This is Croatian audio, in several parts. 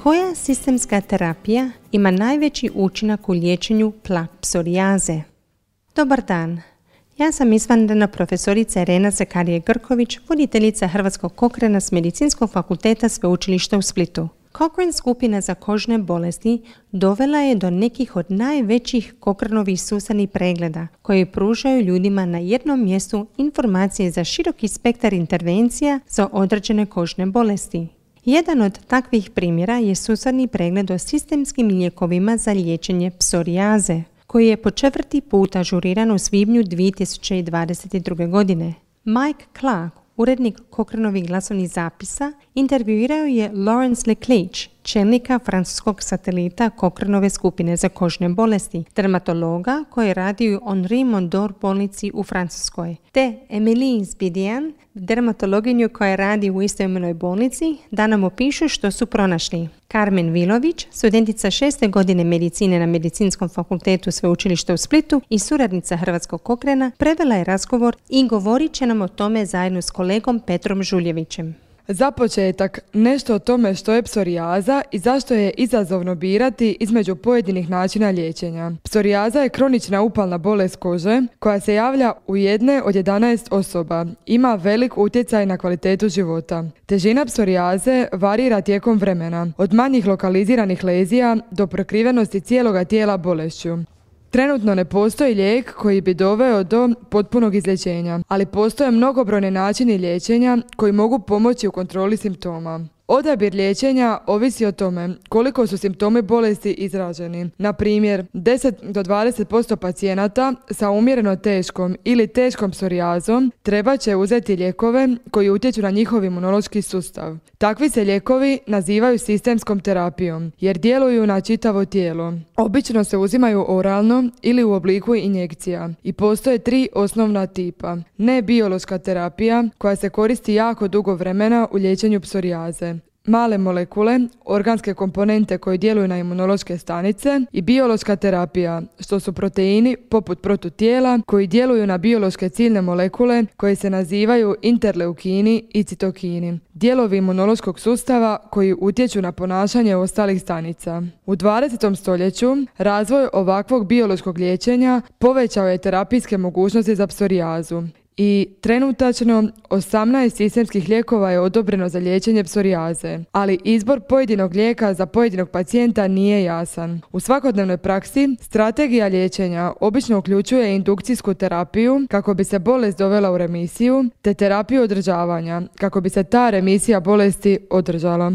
Koja sistemska terapija ima najveći učinak u liječenju plak psorijaze? Dobar dan. Ja sam izvanredna profesorica Irena Zakarije-Grković, voditeljica Hrvatskog Cochrana s Medicinskog fakulteta Sveučilišta u Splitu. Cochrane skupina za kožne bolesti dovela je do nekih od najvećih Cochranovih sustavnih pregleda koji pružaju ljudima na jednom mjestu informacije za široki spektar intervencija za određene kožne bolesti. Jedan od takvih primjera je sustavni pregled o sistemskim lijekovima za liječenje psorijaze, koji je po 4. put ažuriran u svibnju 2022. godine. Mike Clark, urednik Cochranovih glasovnih zapisa, intervjuirao je Lawrence Leclerc, čelnika francuskog satelita Cochranove skupine za kožne bolesti, dermatologa koji radi u Henri Mondor bolnici u Francuskoj, te Emilie Zbidian, dermatologinju koja radi u istoimenoj bolnici, da nam opišu što su pronašli. Carmen Vilović, studentica 6. godine medicine na Medicinskom fakultetu Sveučilišta u Splitu i suradnica Hrvatskog Cochrana, prevela je razgovor i govorit će nam o tome zajedno s kolegom Petrom Žuljevićem. Za početak, nešto o tome što je psorijaza i zašto je izazovno birati između pojedinih načina liječenja. Psorijaza je kronična upalna bolest kože koja se javlja u 1 od 11 osoba. Ima velik utjecaj na kvalitetu života. Težina psorijaze varira tijekom vremena, od manjih lokaliziranih lezija do prekrivenosti cijeloga tijela bolešću. Trenutno ne postoji lijek koji bi doveo do potpunog izlječenja, ali postoje mnogobrojni načini liječenja koji mogu pomoći u kontroli simptoma. Odabir liječenja ovisi o tome koliko su simptomi bolesti izraženi. Na primjer, 10 do 20% pacijenata sa umjereno teškom ili teškom psorijazom treba će uzeti lijekove koji utječu na njihov imunološki sustav. Takvi se lijekovi nazivaju sistemskom terapijom jer djeluju na čitavo tijelo. Obično se uzimaju oralno ili u obliku injekcija i postoje 3 osnovna tipa. Nebiološka terapija koja se koristi jako dugo vremena u liječenju psorijaze. Male molekule, organske komponente koje djeluju na imunološke stanice i biološka terapija, što su proteini poput protutijela koji djeluju na biološke ciljne molekule koje se nazivaju interleukini i citokini, dijelovi imunološkog sustava koji utječu na ponašanje ostalih stanica. U 20. stoljeću razvoj ovakvog biološkog liječenja povećao je terapijske mogućnosti za psorijazu. I trenutačno 18 sistemskih lijekova je odobreno za liječenje psorijaze, ali izbor pojedinog lijeka za pojedinog pacijenta nije jasan. U svakodnevnoj praksi strategija liječenja obično uključuje indukcijsku terapiju kako bi se bolest dovela u remisiju, te terapiju održavanja kako bi se ta remisija bolesti održala.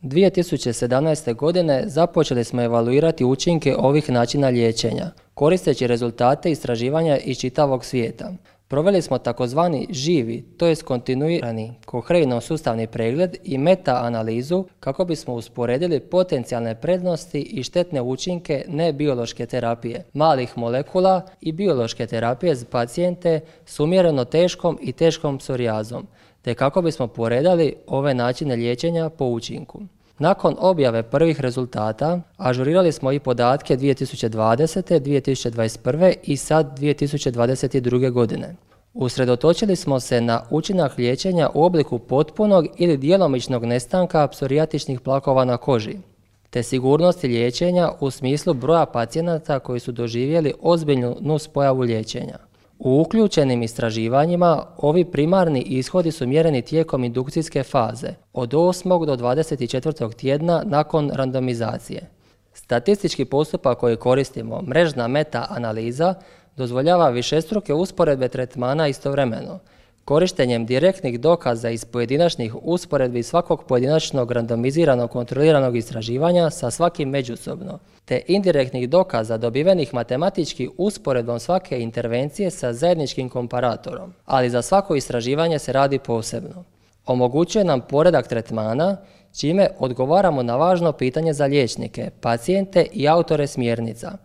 2017. godine započeli smo evaluirati učinke ovih načina liječenja, koristeći rezultate istraživanja iz čitavog svijeta. Proveli smo takozvani živi, to jest kontinuirani Cochrane sustavni pregled i meta-analizu kako bismo usporedili potencijalne prednosti i štetne učinke nebiološke terapije, malih molekula i biološke terapije za pacijente s umjereno teškom i teškom psorijazom, te kako bismo poredali ove načine liječenja po učinku. Nakon objave prvih rezultata, ažurirali smo i podatke 2020., 2021. i sad 2022. godine. Usredotočili smo se na učinak liječenja u obliku potpunog ili djelomičnog nestanka psorijatičnih plakova na koži, te sigurnosti liječenja u smislu broja pacijenata koji su doživjeli ozbiljnu nuspojavu liječenja. U uključenim istraživanjima ovi primarni ishodi su mjereni tijekom indukcijske faze, od 8. do 24. tjedna nakon randomizacije. Statistički postupak koji koristimo, mrežna meta-analiza, dozvoljava višestruke usporedbe tretmana istovremeno, korištenjem direktnih dokaza iz pojedinačnih usporedbi svakog pojedinačnog randomiziranog kontroliranog istraživanja sa svakim međusobno, te indirektnih dokaza dobivenih matematički usporedbom svake intervencije sa zajedničkim komparatorom, ali za svako istraživanje se radi posebno. Omogućuje nam poredak tretmana, čime odgovaramo na važno pitanje za liječnike, pacijente i autore smjernica.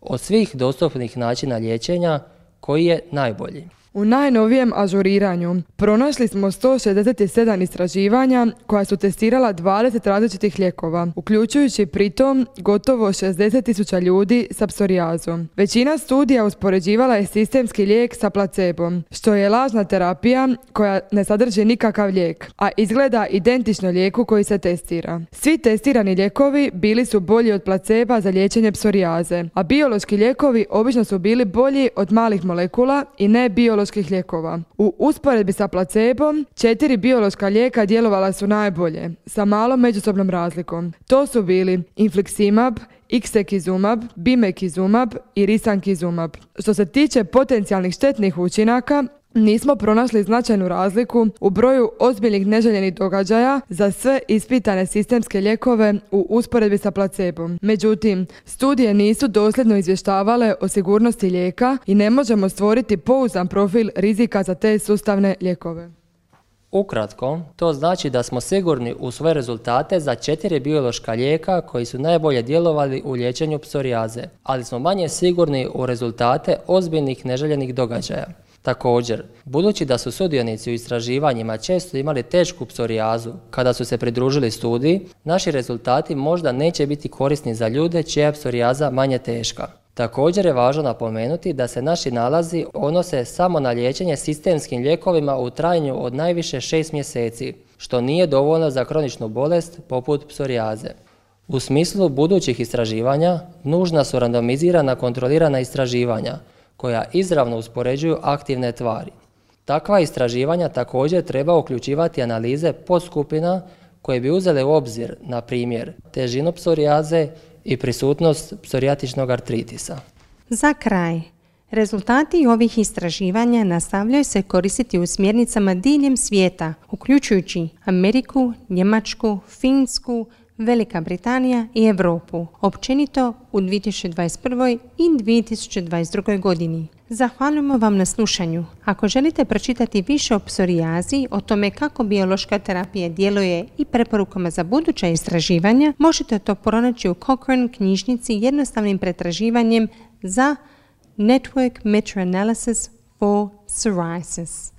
Od svih dostupnih načina liječenja, koji je najbolji? U najnovijem ažuriranju pronašli smo 167 istraživanja koja su testirala 20 različitih lijekova, uključujući pritom gotovo 60.000 ljudi sa psorijazom. Većina studija uspoređivala je sistemski lijek sa placebom, što je lažna terapija koja ne sadrži nikakav lijek, a izgleda identično lijeku koji se testira. Svi testirani lijekovi bili su bolji od placeba za liječenje psorijaze, a biološki lijekovi obično su bili bolji od malih molekula i ne bioloških lijekova. U usporedbi sa placebom, 4 biološka lijeka djelovala su najbolje, sa malom međusobnom razlikom. To su bili infliximab, ixekizumab, bimekizumab i risankizumab. Što se tiče potencijalnih štetnih učinaka, nismo pronašli značajnu razliku u broju ozbiljnih neželjenih događaja za sve ispitane sistemske lijekove u usporedbi sa placebom. Međutim, studije nisu dosljedno izvještavale o sigurnosti lijeka i ne možemo stvoriti pouzdan profil rizika za te sustavne lijekove. Ukratko, to znači da smo sigurni u svoje rezultate za 4 biološka lijeka koji su najbolje djelovali u liječenju psorijaze, ali smo manje sigurni u rezultate ozbiljnih neželjenih događaja. Također, budući da su sudionici u istraživanjima često imali tešku psorijazu kada su se pridružili studiji, naši rezultati možda neće biti korisni za ljude čija je psorijaza manje teška. Također je važno napomenuti da se naši nalazi odnose samo na liječenje sistemskim lijekovima u trajanju od najviše 6 mjeseci, što nije dovoljno za kroničnu bolest poput psorijaze. U smislu budućih istraživanja, nužna su randomizirana kontrolirana istraživanja, koja izravno uspoređuju aktivne tvari. Takva istraživanja također treba uključivati analize podskupina koje bi uzele u obzir, na primjer, težinu psorijaze i prisutnost psorijatičnog artritisa. Za kraj, rezultati ovih istraživanja nastavljaju se koristiti u smjernicama diljem svijeta, uključujući Ameriku, Njemačku, Finsku, Velika Britanija i Europu, općenito u 2021. i 2022. godini. Zahvaljujemo vam na slušanju. Ako želite pročitati više o psorijazi, o tome kako biološka terapija djeluje i preporukama za buduća istraživanja, možete to pronaći u Cochrane knjižnici jednostavnim pretraživanjem za Network Meta-Analysis for Psoriasis.